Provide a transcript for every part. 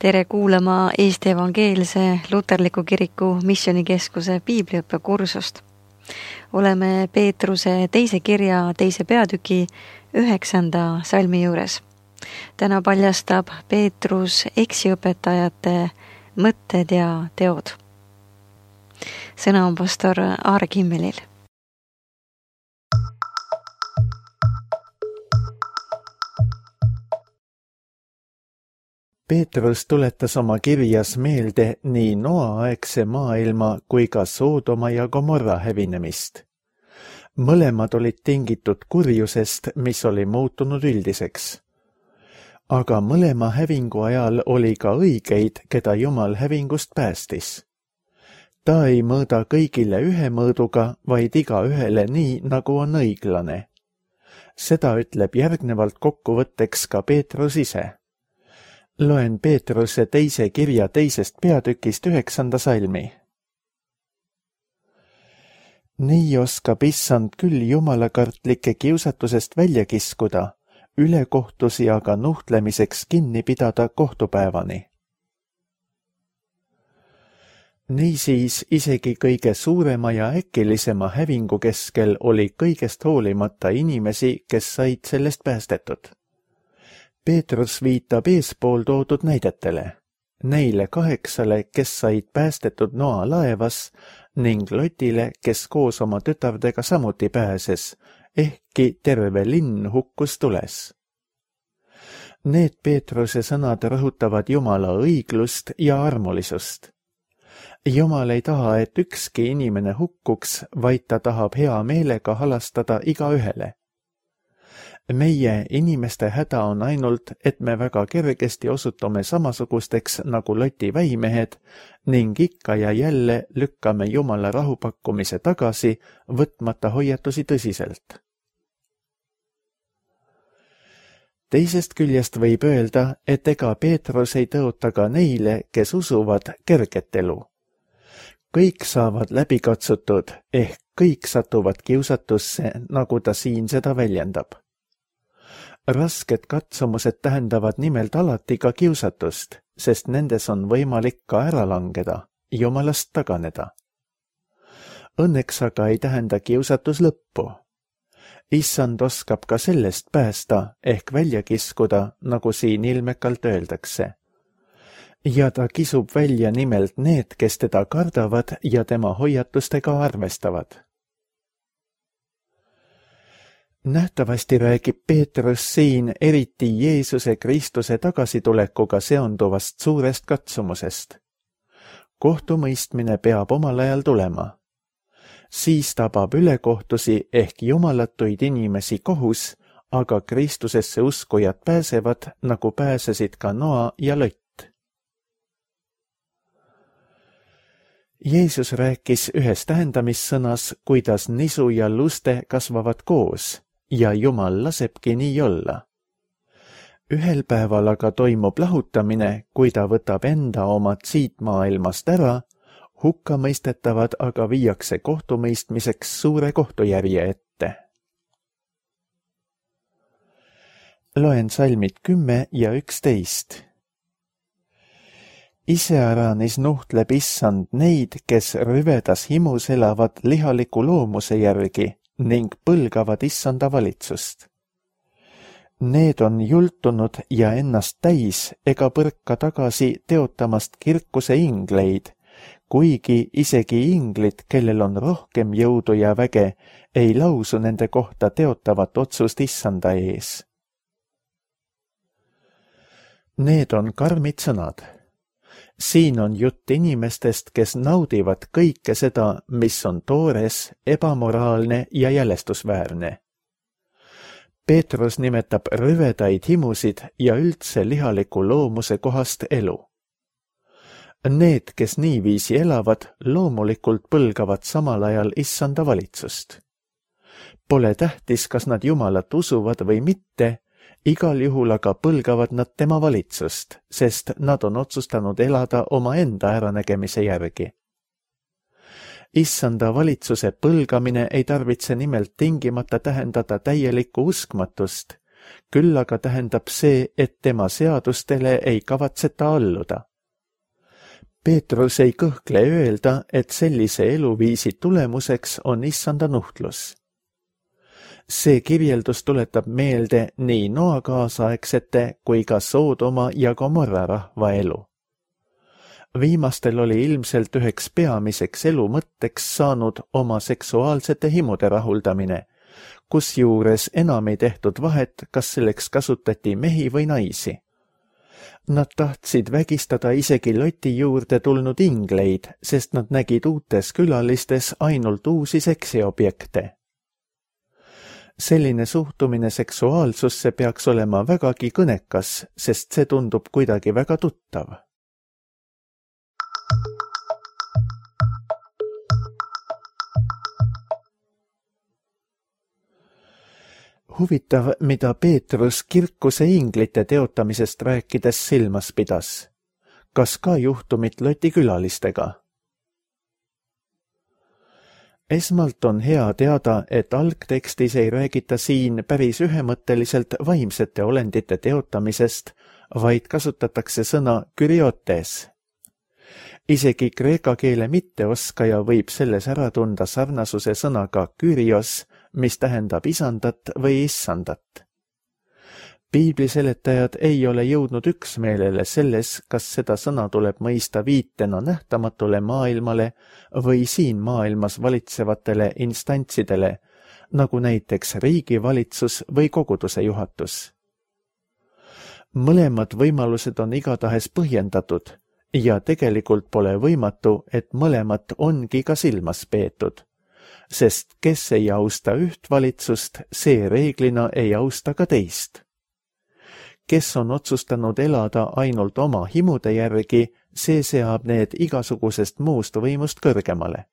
Tere kuulama Eesti Evangeelse Luterliku Kiriku Missioonikeskuse piibliõppekursust. Oleme Peetruse teise kirja teise peatüki 9. salmi juures. Täna paljastab Peetrus eksiõpetajate mõtted ja teod. Sõna on pastor Aare Kimmelil. Peetrus tuletas oma kirjas meelde nii Noa-aegse maailma kui ka Soodoma ja Gomorra hävinemist. Mõlemad olid tingitud kurjusest, mis oli muutunud üldiseks. Aga mõlema hävingu ajal oli ka õigeid, keda Jumal hävingust päästis. Ta ei mõõda kõigile ühe mõõduga, vaid igaühele nii, nagu on õiglane. Seda ütleb järgnevalt kokkuvõtteks ka Peetrus ise. Loen Peetruse teise kirja teisest peatükist 9. salmi. Nii oskab issand küll jumalakartlike kiusatusest välja kiskuda, ülekohtusi aga nuhtlemiseks kinni pidada kohtupäevani. Niisiis isegi kõige suurema ja äkilisema hävingu keskel oli kõigest hoolimata inimesi, kes said sellest päästetud. Peetrus viitab eespool toodud näidetele, neile 8, kes said päästetud Noa laevas ning Lotile, kes koos oma tütardega samuti pääses, ehkki terve linn hukkus tules. Need Peetruse sõnad rõhutavad Jumala õiglust ja armulisust. Jumal ei taha, et ükski inimene hukkuks, vaid ta tahab hea meelega halastada igaühele. Meie inimeste häda on ainult, et me väga kergesti osutume samasugusteks nagu Loti väimehed ning ikka ja jälle lükkame Jumala rahupakkumise tagasi, võtmata hoiatusi tõsiselt. Teisest küljest võib öelda, et ega Peetrus ei tõota ka neile, kes usuvad kerget elu. Kõik saavad läbi katsutud, ehk kõik satuvad kiusatusse, nagu ta siin seda väljendab. Rasked katsumused tähendavad nimelt alati ka kiusatust, sest nendes on võimalik ka ära langeda, Jumalast taganeda. Õnneks aga ei tähenda kiusatus lõppu. Issand oskab ka sellest päästa ehk välja kiskuda, nagu siin ilmekalt öeldakse. Ja ta kisub välja nimelt need, kes teda kardavad ja tema hoiatustega arvestavad. Nähtavasti räägib Peetrus siin eriti Jeesuse Kristuse tagasitulekuga seonduvast suurest katsumusest. Kohtumõistmine peab omal ajal tulema. Siis tabab ülekohtusi ehk jumalatuid inimesi kohus, aga Kristusesse uskujad pääsevad, nagu pääsesid ka Noa ja Lott. Jeesus rääkis ühes tähendamissõnas, kuidas nisu ja luste kasvavad koos. Ja Jumal lasebki nii olla. Ühel päeval aga toimub lahutamine, kui ta võtab enda omad siit maailmast ära, hukkamõistetavad aga viiakse kohtumõistmiseks suure kohtujärje ette. Loen salmid 10 ja 11. Iseäranis nuhtleb issand neid, kes rüvedas himus elavad lihaliku loomuse järgi, ning põlgavad issanda valitsust. Need on jultunud ja ennast täis ega põrka tagasi teotamast kirkuse ingleid, kuigi isegi inglid, kellel on rohkem jõudu ja väge, ei lausu nende kohta teotavat otsust issanda ees. Need on karmid sõnad. Siin on jutt inimestest, kes naudivad kõike seda, mis on toores, ebamoraalne ja jälestusväärne. Peetrus nimetab rüvedaid himusid ja üldse lihaliku loomuse kohast elu. Need, kes niiviisi elavad, loomulikult põlgavad samal ajal issanda valitsust. Pole tähtis, kas nad Jumalat usuvad või mitte, igal juhul aga põlgavad nad tema valitsust, sest nad on otsustanud elada omaenda äranägemise järgi. Issanda valitsuse põlgamine ei tarvitse nimelt tingimata tähendada täielikku uskmatust, Küll aga tähendab see, et tema seadustele ei kavatseta alluda. Peetrus ei kõhkle öelda, et sellise eluviisi tulemuseks on issanda nuhtlus. See kirjeldus tuletab meelde nii Noa kaasaegsete kui ka Soodoma ja Gomorra rahva elu. Viimastel oli ilmselt üheks peamiseks elu mõtteks saanud oma seksuaalsete himude rahuldamine, kusjuures enam ei tehtud vahet, kas selleks kasutati mehi või naisi. Nad tahtsid vägistada isegi Loti juurde tulnud ingleid, sest nad nägid uutes külalistes ainult uusi seksiobjekte. Selline suhtumine seksuaalsusse peaks olema vägagi kõnekas, sest see tundub kuidagi väga tuttav. Huvitav, mida Peetrus kirkuse inglite teotamisest rääkides silmas pidas. Kas ka juhtumit Loti külalistega? Esmalt on hea teada, et algtekstis ei räägita siin päris ühemõtteliselt vaimsete olendite teotamisest, vaid kasutatakse sõna kyriotes. Isegi kreeka keele mitteoskaja võib selles ära tunda sarnasuse sõnaga kyrios, mis tähendab isandat või issandat. Piibliseletajad ei ole jõudnud üksmeelele selles, kas seda sõna tuleb mõista viitena nähtamatule maailmale või siin maailmas valitsevatele instantsidele, nagu näiteks riigivalitsus või koguduse juhatus. Mõlemad võimalused on igatahes põhjendatud ja tegelikult pole võimatu, et mõlemat ongi ka silmas peetud, sest kes ei austa üht valitsust, see reeglina ei austa ka teist. Kes on otsustanud elada ainult oma himude järgi, see seab need igasugusest muust võimust kõrgemale.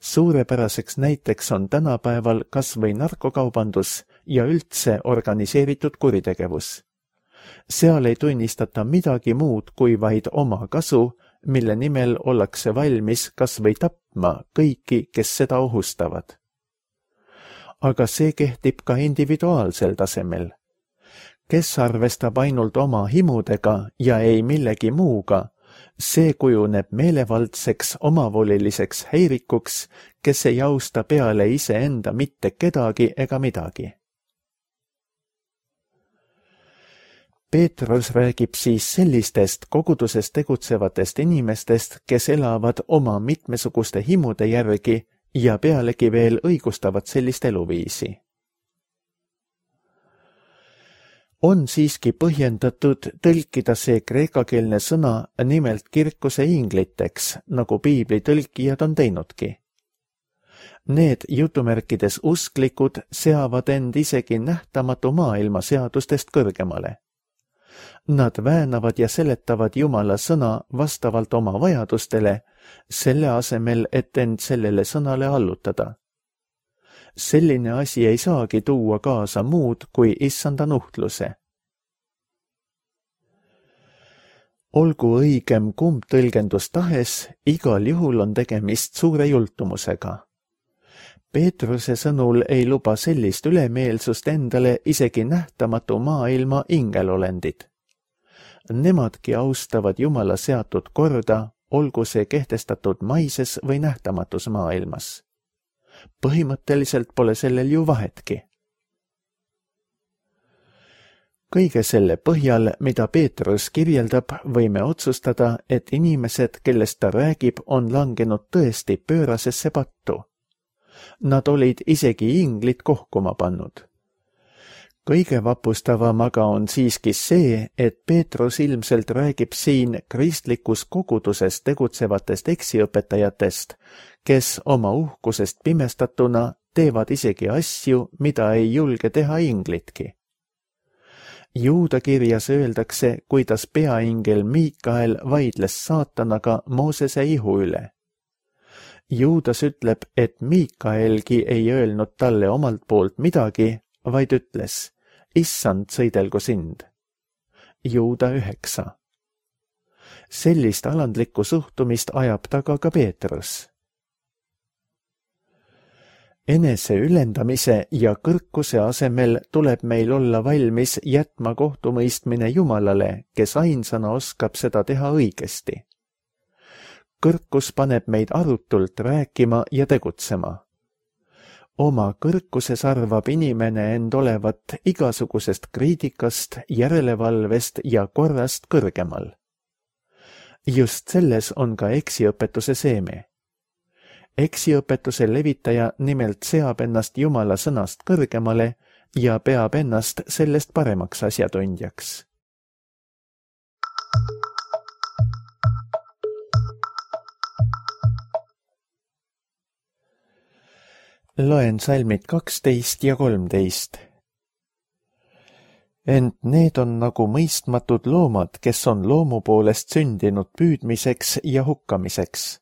Suurepäraseks näiteks on tänapäeval kas või narkokaubandus ja üldse organiseeritud kuritegevus. Seal ei tunnistata midagi muud kui vaid oma kasu, mille nimel ollakse valmis kas või tapma kõiki, kes seda ohustavad. Aga see kehtib ka individuaalsel tasemel. Kes arvestab ainult oma himudega ja ei millegi muuga, see kujuneb meelevaldseks omavoliliseks häirikuks, kes ei austa peale iseenda mitte kedagi ega midagi. Peetrus räägib siis sellistest koguduses tegutsevatest inimestest, kes elavad oma mitmesuguste himude järgi ja pealegi veel õigustavad sellist eluviisi. On siiski põhjendatud tõlkida see kreekakeelne sõna nimelt kirkuse ingliteks, nagu piibli tõlkijad on teinudki. Need jutumärkides usklikud seavad end isegi nähtamatu maailma seadustest kõrgemale. Nad väänavad ja seletavad Jumala sõna vastavalt oma vajadustele, selle asemel, et end sellele sõnale allutada. Selline asi ei saagi tuua kaasa muud kui issanda nuhtluse. Olgu õigem kumb tõlgendus tahes, igal juhul on tegemist suure jultumusega. Peetruse sõnul ei luba sellist ülemeelsust endale isegi nähtamatu maailma ingelolendid. Nemadki austavad Jumala seatud korda, olgu see kehtestatud maises või nähtamatus maailmas. Põhimõtteliselt pole sellel ju vahetki. Kõige selle põhjal, mida Peetrus kirjeldab, võime otsustada, et inimesed, kellest ta räägib, on langenud tõesti pöörasesse pattu. Nad olid isegi inglid kohkuma pannud. Kõige vapustavam aga on siiski see, et Peetrus ilmselt räägib siin kristlikus koguduses tegutsevatest eksiõpetajatest, kes oma uhkusest pimestatuna teevad isegi asju, mida ei julge teha inglitki. Juuda kirjas öeldakse, kuidas peaingel Miikael vaidles saatanaga Moosese ihu üle. Juudas ütleb, et Miikaelgi ei öelnud talle omalt poolt midagi, vaid ütles, issand, sõidelgu sind. Juuda 9. Sellist alandlikku suhtumist ajab taga ka Peetrus. enese ülendamise ja kõrkuse asemel tuleb meil olla valmis jätma kohtumõistmine Jumalale, kes ainsana oskab seda teha õigesti. Kõrkus paneb meid arutult rääkima ja tegutsema. Oma kõrkuses arvab inimene end olevat igasugusest kriitikast, järelevalvest ja korrast kõrgemal. Just selles on ka eksiõpetuse seeme. Eksiõpetuse levitaja nimelt seab ennast Jumala sõnast kõrgemale ja peab ennast sellest paremaks asjatundjaks. Loen salmid 12 ja 13. Ent need on nagu mõistmatud loomad, kes on loomu poolest sündinud püüdmiseks ja hukkamiseks.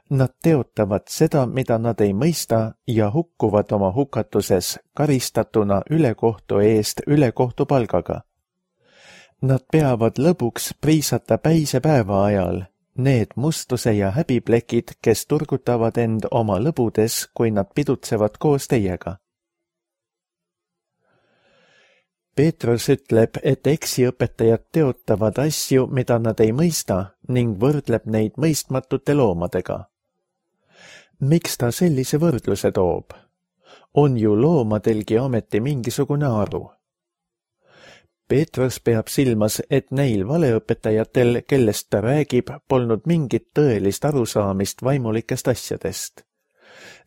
Nad teotavad seda, mida nad ei mõista ja hukkuvad oma hukatuses karistatuna ülekohtu eest ülekohtu palgaga. Nad peavad lõbuks priisata päise päeva ajal, need mustuse ja häbiplekid, kes turgutavad end oma lõbudes, kui nad pidutsevad koos teiega. Peetrus ütleb, et eksiõpetajad teotavad asju, mida nad ei mõista, ning võrdleb neid mõistmatute loomadega. Miks ta sellise võrdluse toob? On ju loomadelgi ometi mingisugune aru. Peetrus peab silmas, et neil valeõpetajatel, kellest ta räägib, polnud mingit tõelist arusaamist vaimulikest asjadest.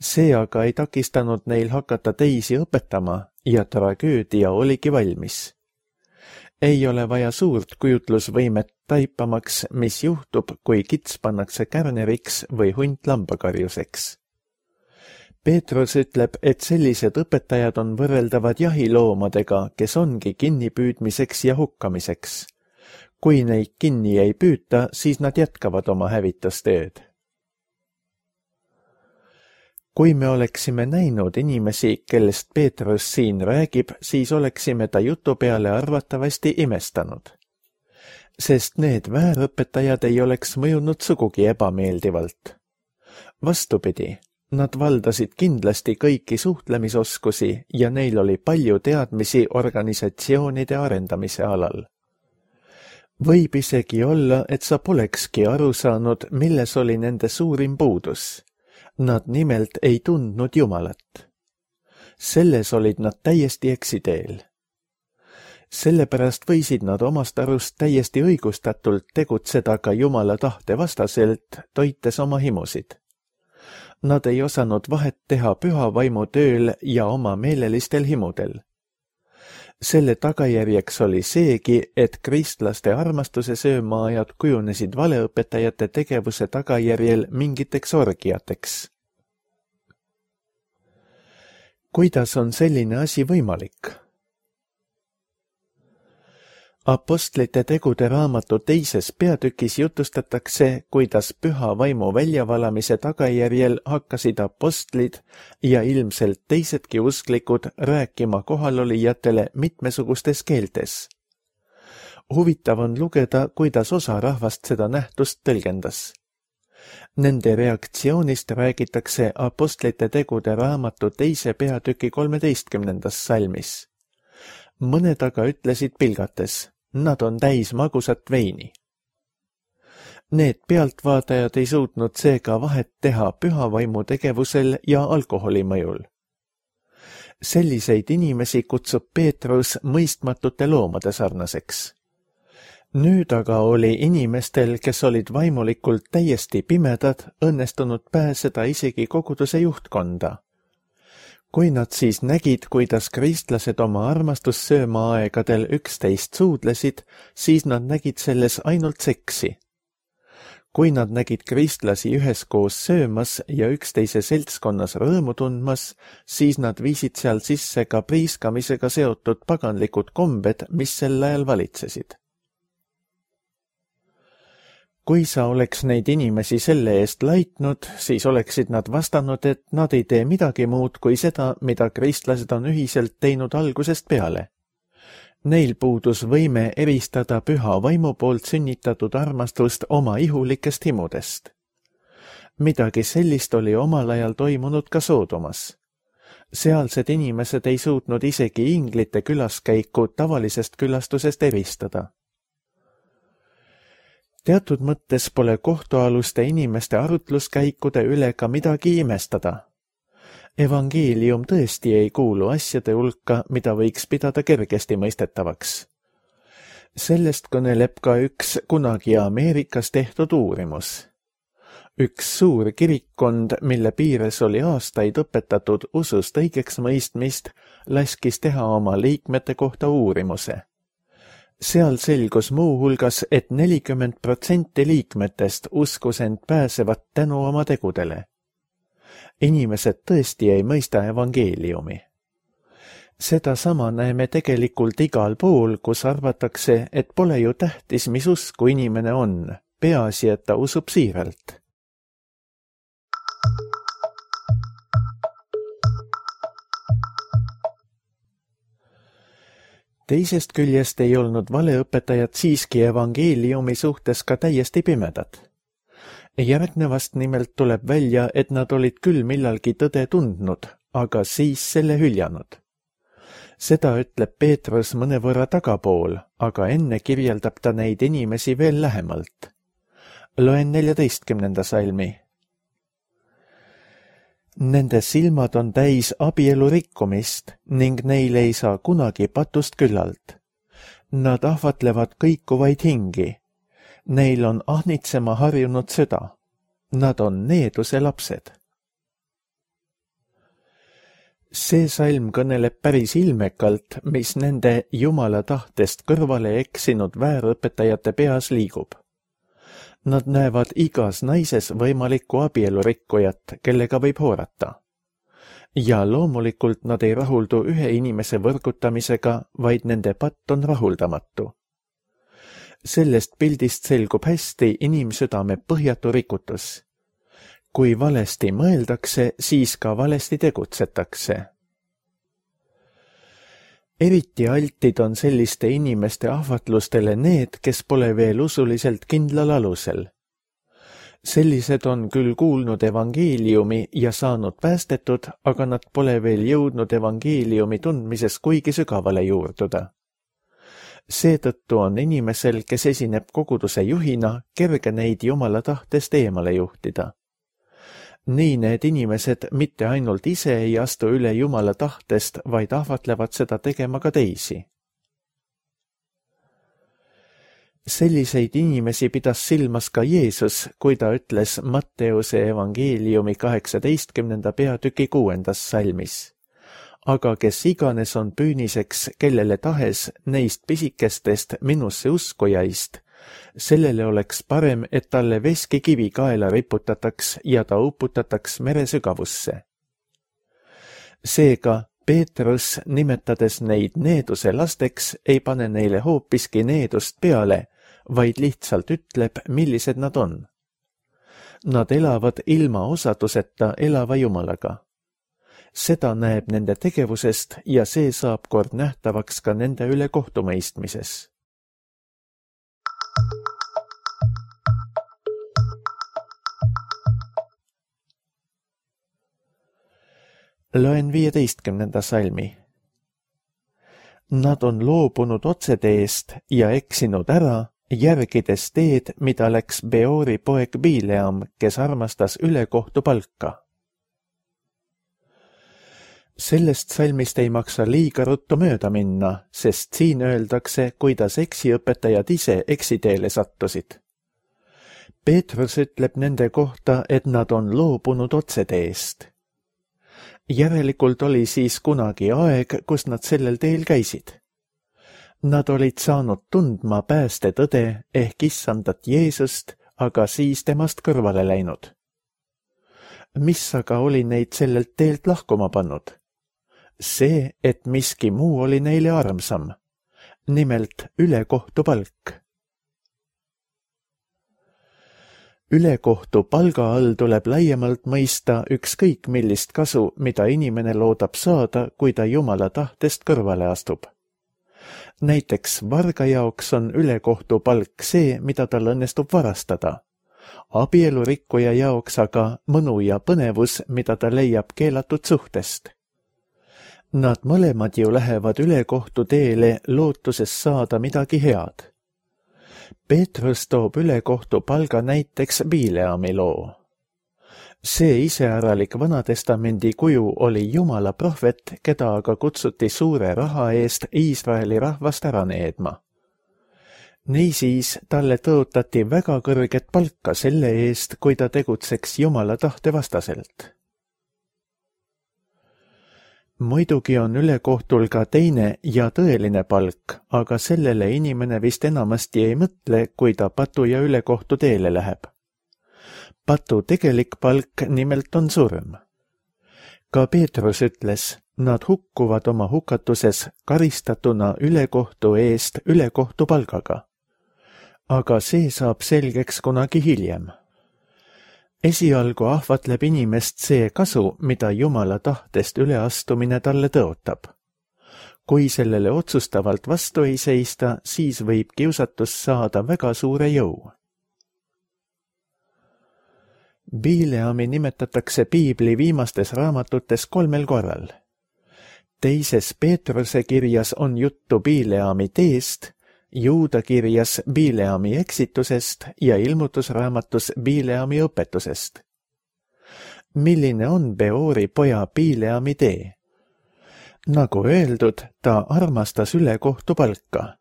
See aga ei takistanud neil hakata teisi õpetama ja tragöödia oligi valmis. Ei ole vaja suurt kujutlusvõimet taipamaks, mis juhtub, kui kits pannakse kärneriks või hunt lambakarjuseks. Peetrus ütleb, et sellised õpetajad on võrreldavad jahiloomadega, kes ongi kinnipüüdmiseks ja hukkamiseks. Kui neid kinni ei püüta, siis nad jätkavad oma hävitustööd. Kui me oleksime näinud inimesi, kellest Peetrus siin räägib, siis oleksime ta jutu peale arvatavasti imestanud. Sest need väärõpetajad ei oleks mõjunud sugugi ebameeldivalt. Vastupidi, nad valdasid kindlasti kõiki suhtlemisoskusi ja neil oli palju teadmisi organisatsioonide arendamise alal. Võib isegi olla, et sa polekski aru saanud, milles oli nende suurim puudus. Nad nimelt ei tundnud Jumalat. Selles olid nad täiesti eksiteel. Sellepärast võisid nad omast arust täiesti õigustatult tegutseda ka Jumala tahte vastaselt, toites oma himusid. Nad ei osanud vahet teha püha vaimu tööl ja oma meelelistel himudel. Selle tagajärjeks oli seegi, et kristlaste armastuse söömaajad kujunesid valeõpetajate tegevuse tagajärjel mingiteks orgiateks. Kuidas on selline asi võimalik? Apostlite tegude raamatu 2. peatükis jutustatakse, kuidas püha vaimu väljavalamise tagajärjel hakkasid apostlid ja ilmselt teisedki usklikud rääkima kohalolijatele mitmesugustes keeltes. Huvitav on lugeda, kuidas osa rahvast seda nähtust tõlgendas. Nende reaktsioonist räägitakse Apostlite tegude raamatu 2. peatüki 13. salmis. Mõned aga ütlesid pilgates, nad on täis magusat veini. Need pealtvaatajad ei suutnud seega vahet teha püha vaimu tegevusel ja alkoholi mõjul. Selliseid inimesi kutsub Peetrus mõistmatute loomade sarnaseks. Nüüd aga oli inimestel, kes olid vaimulikult täiesti pimedad, õnnestunud pääseda isegi koguduse juhtkonda. Kui nad siis nägid, kuidas kristlased oma armastussöömaaegadel üksteist suudlesid, siis nad nägid selles ainult seksi. Kui nad nägid kristlasi üheskoos söömas ja üksteise seltskonnas rõõmu tundmas, siis nad viisid seal sisse ka priiskamisega seotud paganlikud kombed, mis sel ajal valitsesid. Kui sa oleks neid inimesi selle eest laitnud, siis oleksid nad vastanud, et nad ei tee midagi muud kui seda, mida kristlased on ühiselt teinud algusest peale. Neil puudus võime eristada püha vaimu poolt sünnitatud armastust oma ihulikest himudest. Midagi sellist oli omal ajal toimunud ka Soodomas. Sealsed inimesed ei suutnud isegi inglite külaskäiku tavalisest külastusest eristada. Teatud mõttes pole kohtualuste inimeste arutluskäikude üle ka midagi imestada. Evangeelium tõesti ei kuulu asjade hulka, mida võiks pidada kergesti mõistetavaks. Sellest kõneleb ka üks kunagi Ameerikas tehtud uurimus. Üks suur kirikkond, mille piires oli aastaid õpetatud usust õigeks mõistmist, laskis teha oma liikmete kohta uurimuse. Seal selgus muu hulgas, et 40% liikmetest uskus end pääsevat tänu oma tegudele. Inimesed tõesti ei mõista evangeeliumi. Sedasama näeme tegelikult igal pool, kus arvatakse, et pole ju tähtis, mis usku inimene on, peaasi, et ta usub siiralt. Teisest küljest ei olnud valeõpetajad siiski evangeeliumi suhtes ka täiesti pimedad. Järgnevast nimelt tuleb välja, et nad olid küll millalgi tõde tundnud, aga siis selle hüljanud. Seda ütleb Peetrus mõnevõrra tagapool, aga enne kirjeldab ta neid inimesi veel lähemalt. Loen 14. salmi. Nende silmad on täis abielu rikkumist ning neil ei saa kunagi patust küllalt. Nad ahvatlevad kõikuvaid hingi. Neil on ahnitsema harjunud süda. Nad on needuse lapsed. See salm kõneleb päris ilmekalt, mis nende Jumala tahtest kõrvale eksinud väärõpetajate peas liigub. Nad näevad igas naises võimalikku abielurikkujat, kellega võib hoorata. Ja loomulikult nad ei rahuldu ühe inimese võrgutamisega, vaid nende patt on rahuldamatu. Sellest pildist selgub hästi inimsüdame põhjatu rikutus. Kui valesti mõeldakse, siis ka valesti tegutsetakse. Eriti altid on selliste inimeste ahvatlustele need, kes pole veel usuliselt kindlal alusel. Sellised on küll kuulnud evangeeliumi ja saanud päästetud, aga nad pole veel jõudnud evangeeliumi tundmises kuigi sügavale juurduda. Seetõttu on inimesel, kes esineb koguduse juhina, kerge neid Jumala tahtest eemale juhtida. Nii need inimesed mitte ainult ise ei astu üle Jumala tahtest, vaid ahvatlevad seda tegema ka teisi. Selliseid inimesi pidas silmas ka Jeesus, kui ta ütles Matteuse evangeeliumi 18. peatüki 6. salmis. Aga kes iganes on püüniseks kellele tahes neist pisikestest minusse uskujaist, sellele oleks parem, et talle veskikivi kaela riputataks ja ta uputataks mere sügavusse. Seega Peetrus, nimetades neid needuse lasteks, ei pane neile hoopiski needust peale, vaid lihtsalt ütleb, millised nad on. Nad elavad ilma osaduseta elava Jumalaga. Seda näeb nende tegevusest ja see saab kord nähtavaks ka nende üle kohtumõistmises. Loen 15. salmi. Nad on loobunud otseteest ja eksinud ära, järgides teed, mida läks Beori poeg Bileam, kes armastas ülekohtu palka. Sellest salmist ei maksa liiga ruttu mööda minna, sest siin öeldakse, kuidas eksiõpetajad ise eksiteele sattusid. Peetrus ütleb nende kohta, et nad on loobunud otseteest. Järelikult oli siis kunagi aeg, kus nad sellel teel käisid. Nad olid saanud tundma päästetõde ehk issandat Jeesust, aga siis temast kõrvale läinud. Mis aga oli neid sellelt teelt lahkuma pannud? See, et miski muu oli neile armsam, nimelt ülekohtu palk. Ülekohtu palga all tuleb laiemalt mõista ükskõik millist kasu, mida inimene loodab saada, kui ta Jumala tahtest kõrvale astub. Näiteks varga jaoks on ülekohtu palk see, mida tal õnnestub varastada. Abielurikkuja jaoks aga mõnu ja põnevus, mida ta leiab keelatud suhtest. Nad mõlemad ju lähevad ülekohtu teele lootuses saada midagi head. Peetrus toob ülekohtu palga näiteks Bileami loo. See iseäralik Vanatestamendi kuju oli Jumala prohvet, keda aga kutsuti suure raha eest Iisraeli rahvast ära needma. Niisiis talle tõotati väga kõrget palka selle eest, kui ta tegutseks Jumala tahte vastaselt. Muidugi on ülekohtul ka teine ja tõeline palk, aga sellele inimene vist enamasti ei mõtle, kui ta patu ja ülekohtu teele läheb. Patu tegelik palk nimelt on surm. Ka Peetrus ütles, nad hukkuvad oma hukatuses karistatuna ülekohtu eest ülekohtu palgaga. Aga see saab selgeks kunagi hiljem. Esialgu ahvatleb inimest see kasu, mida Jumala tahtest üleastumine talle tõotab. Kui sellele otsustavalt vastu ei seista, siis võib kiusatus saada väga suure jõu. Bileami nimetatakse piibli viimastes raamatutes 3 korral. Teises Peetruse kirjas on juttu Bileami teest, Juuda kirjas Bileami eksitusest ja ilmutusraamatus Bileami õpetusest. Milline on Beori poja Bileami tee? Nagu öeldud, ta armastas ülekohtu palka.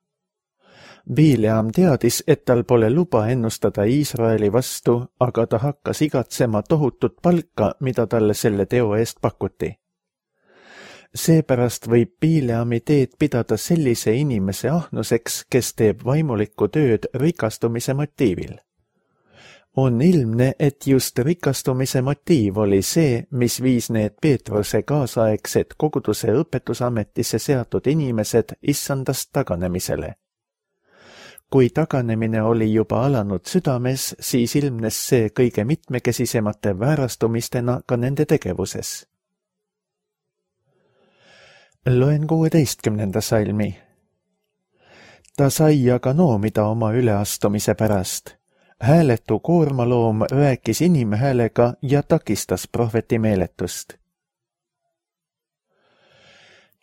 Bileam teadis, et tal pole luba ennustada Iisraeli vastu, aga ta hakkas igatsema tohutut palka, mida talle selle teo eest pakuti. Seepärast võib Bileami teed pidada sellise inimese ahnuseks, kes teeb vaimulikku tööd rikastumise motiivil. On ilmne, et just rikastumise motiiv oli see, mis viis need Peetruse kaasaegsed koguduse õpetusametisse seatud inimesed issandast taganemisele. Kui taganemine oli juba alanud südames, siis ilmnes see kõige mitmekesisemate väärastumistena ka nende tegevuses. Loen 16. salmi. Ta sai aga noomida oma üleastumise pärast. Hääletu koormaloom rääkis inimhäälega ja takistas prohveti meeletust.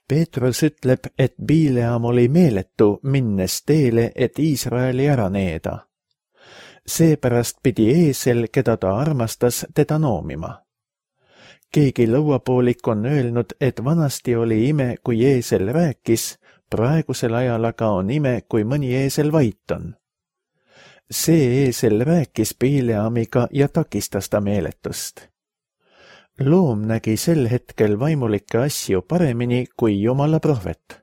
Peetrus ütleb, et Bileam oli meeletu, minnes teele, et Iisraeli ära needa. Seepärast pidi eesel, keda ta armastas, teda noomima. Keegi lõuapoolik on öelnud, et vanasti oli ime, kui eesel rääkis, praegusel ajal aga on ime, kui mõni eesel vait on. See eesel rääkis Bileamiga ja takistas ta meeletust. Loom nägi sel hetkel vaimulikke asju paremini kui Jumala prohvet.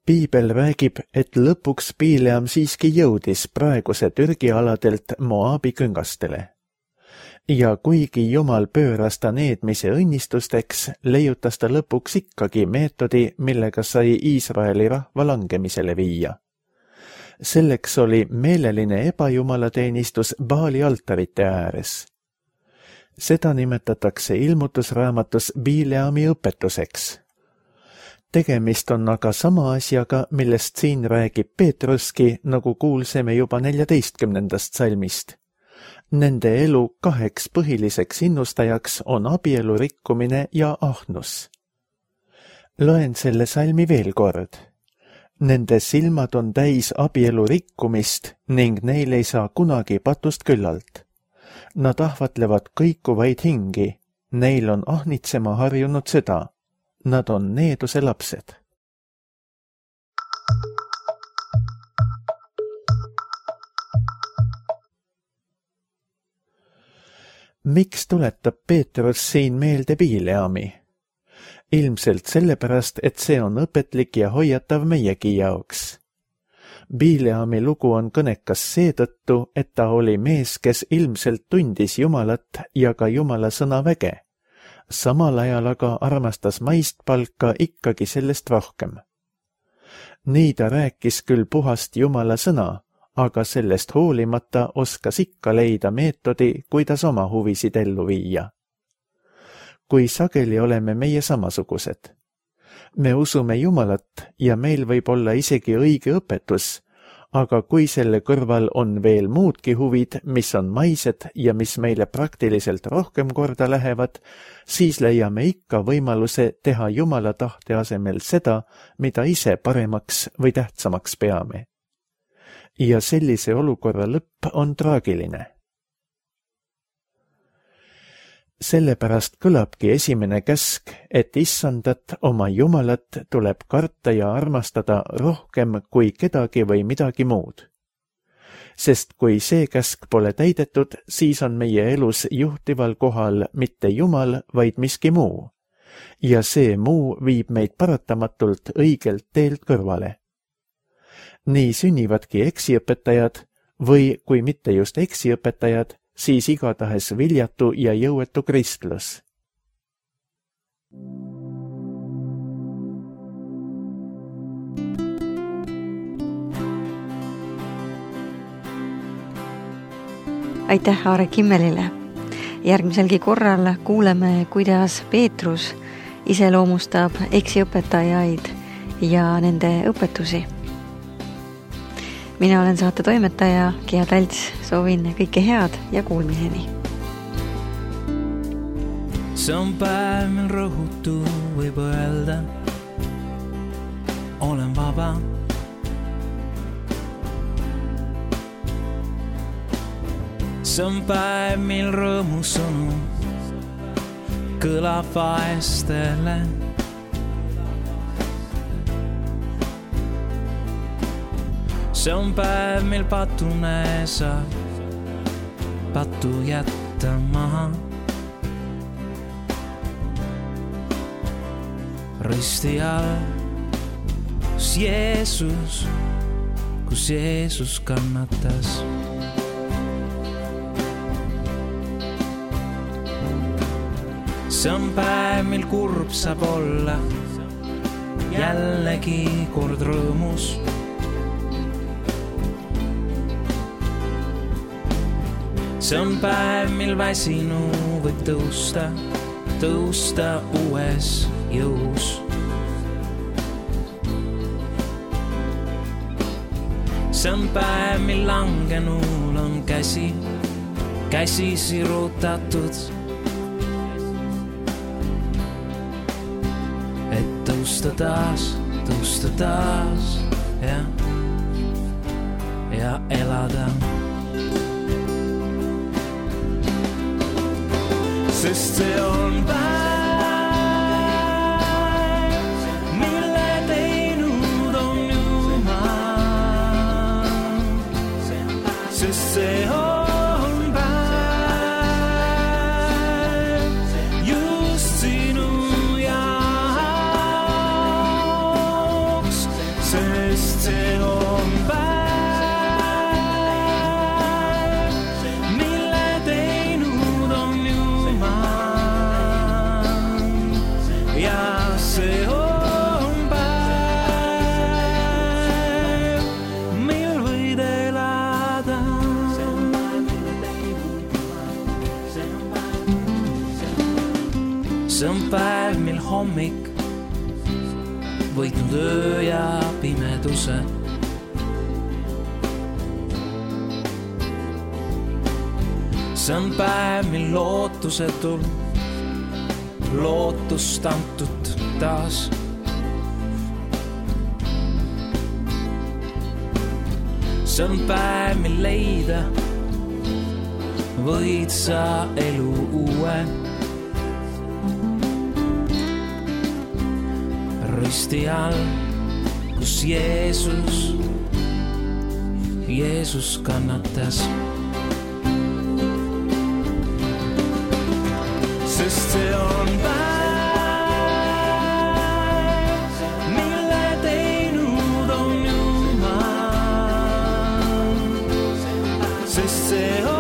Piibel räägib, et lõpuks Bileam siiski jõudis praeguse Türgi aladelt Moabi küngastele. Ja kuigi Jumal pööras ta needmise õnnistusteks, leiutas ta lõpuks ikkagi meetodi, millega sai Iisraeli rahva langemisele viia. Selleks oli meeleline ebajumalateenistus Baali altarite ääres. Seda nimetatakse ilmutusraamatus Bileami õpetuseks. Tegemist on aga sama asjaga, millest siin räägib Peetruski, nagu kuulsime juba 14. salmist. Nende elu 2 põhiliseks innustajaks on abielu rikkumine ja ahnus. Loen selle salmi veel kord. Nende silmad on täis abielu rikkumist ning neil ei saa kunagi patust küllalt. Nad ahvatlevad kõikuvaid hingi, neil on ahnitsema harjunud süda. Nad on needuse lapsed. Miks tuletab Peetrus siin meelde Bileami? Ilmselt sellepärast, et see on õpetlik ja hoiatav meiegi jaoks. Bileami lugu on kõnekas seetõttu, et ta oli mees, kes ilmselt tundis Jumalat ja ka Jumala sõna väge. Samal ajal aga armastas maist palka ikkagi sellest rohkem. Nii ta rääkis küll puhast Jumala sõna, aga sellest hoolimata oskas ikka leida meetodi, kuidas oma huvisid ellu viia. Kui sageli oleme meie samasugused. Me usume Jumalat ja meil võib olla isegi õige õpetus, aga kui selle kõrval on veel muudki huvid, mis on maised ja mis meile praktiliselt rohkem korda lähevad, siis leiame ikka võimaluse teha Jumala tahte asemel seda, mida ise paremaks või tähtsamaks peame. Ja sellise olukorra lõpp on traagiline. Sellepärast kõlabki esimene käsk, et Issandat, oma Jumalat, tuleb karta ja armastada rohkem kui kedagi või midagi muud. Sest kui see käsk pole täidetud, siis on meie elus juhtival kohal mitte Jumal, vaid miski muu. Ja see muu viib meid paratamatult õigelt teelt kõrvale. Nii sünnivadki eksiõpetajad või kui mitte just eksiõpetajad, siis igatahes viljatu ja jõuetu kristlus. Aitäh Aare Kimmelile. Järgmiselgi korral kuuleme, kuidas Peetrus iseloomustab eksiõpetajaid ja nende õpetusi. Mina olen saate toimetaja Gea Talts, soovin kõike head ja kuulmiseni. See on päev, mil rõhutu võib öelda, olen vaba. See on päev, mil rõõmusõnu kõlab vaestele. See on päev, mil patune saab patu jätta maha. Risti all, kus Jeesus kannatas. See on päev, mil kurb saab olla jällegi kord rõõmus. See on päev, mil väsinu võib tõusta uues jõus. See on päev, mil langenul on käsi sirutatud, et tõusta taas ja elada. Sest see on päev, mille teinud on Jumal. Sest see on päev just sinu jaoks. Sest see on päev, see on päev, mil hommik võitnud öö ja pimeduse. See on päev, mil lootusetul lootust antud taas. See on päev, mil leida võid sa elu uue. Risti all, kus Jeesus kannatas. Sest see on päev, mille teinud on Jumal. Sest see on